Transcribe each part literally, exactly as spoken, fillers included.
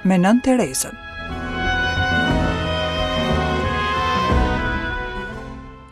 me Nënë Terezën.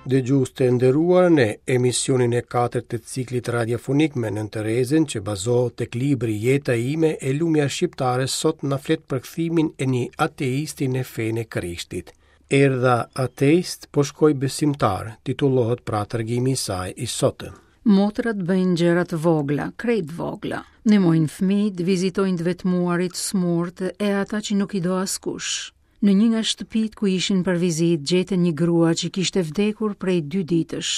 Dëgjues të nderuar, në emisionin e katërt të ciklit radiofonik me Nënë Terezën, që bazohet tek libri Jeta ime e lumja shqiptare, sot na flet për kthimin e një ateisti në fenë e Krishtit. Erdha ateist, po shkoj besimtar, titullohet pra tregimi i saj i sotëm. Motrat bëjnë gjëra të vogla, krejt vogla. Ndihmojnë fëmijët, vizitojnë të vetmuarit, smurt e ata që nuk i do askush. Në një nga shtëpitë ku ishin për vizitë, gjetën një grua që kishte vdekur prej dy ditësh.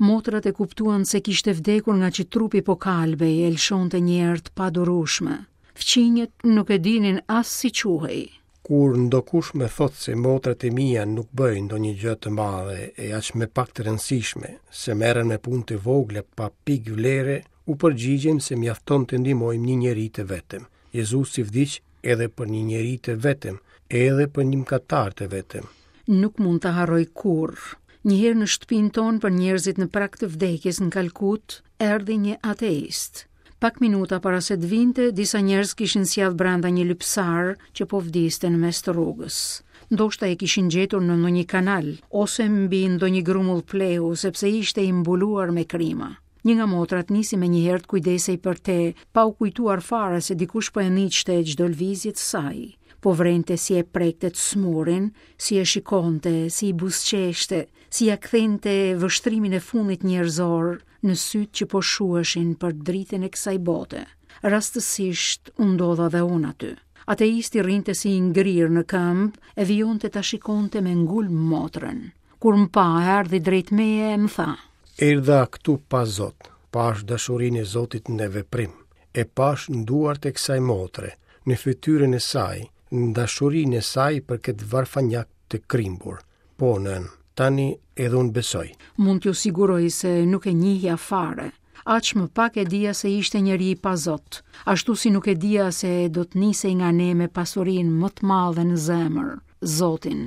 Motrat e kuptuan se kishte vdekur nga që trupi po kalbej e lëshonte një erë të padurueshme. Fqinjët nuk e dinin as si quhej. Kur ndokush më thotë se motrat e mia nuk bëjnë ndonjë gjë të madhe e aq më pak të rëndësishme, se merren me punë të vogla pa pikë vlere, u përgjigjem se mjafton të ndihmojmë një njeri të vetëm. Jezusi vdiq edhe për një njeri të vetëm, edhe për një mëkatar të vetëm. Nuk mund ta harroj kurrë. Një herë në shtëpinë tonë për njerëzit në prag të vdekjes në Kalkut, erdhi një ateist. Pak minuta para se të vinte, disa njerëz kishin sjellë brenda një lypsar që po vdiste në mes të rrugës. Ndoshta e kishin gjetur në ndonjë kanal ose mbi ndonjë grumull plehu, sepse ishte i mbuluar me krima. Një nga motrat nisi me njëherë të kujdesej për te, pa u kujtuar fare se dikush po e ndiqte çdo lëvizje të saj. Po vrente si e prekte të smurin, si e shikonte, si i buzëqeshte, si ja kthente vështrimin e fundit njerëzor në sytë që po shuheshin për dritën e kësaj bote. Rastësisht u ndodha dhe unë aty. Ateisti rrinte si i ngrirë në këmbë e vijonte ta shikonte me ngulm motrën. Kur më pa, erdhi drejt meje e më tha: Erdha këtu pa Zot, pash dashurinë e Zotit në veprim, e pash në duart e kësaj motre, në fytyrën e saj, në dashurinë e saj për këtë varfanjak të krimbur. Po, nën, tani edhe unë besoj. Mund t'ju siguroj se nuk e njihja fare. Aq më pak e dija se ishte njeri i pa Zot, ashtu si nuk e dija se do të nisej nga ne me pasurinë më të madhe në zemër, Zotin.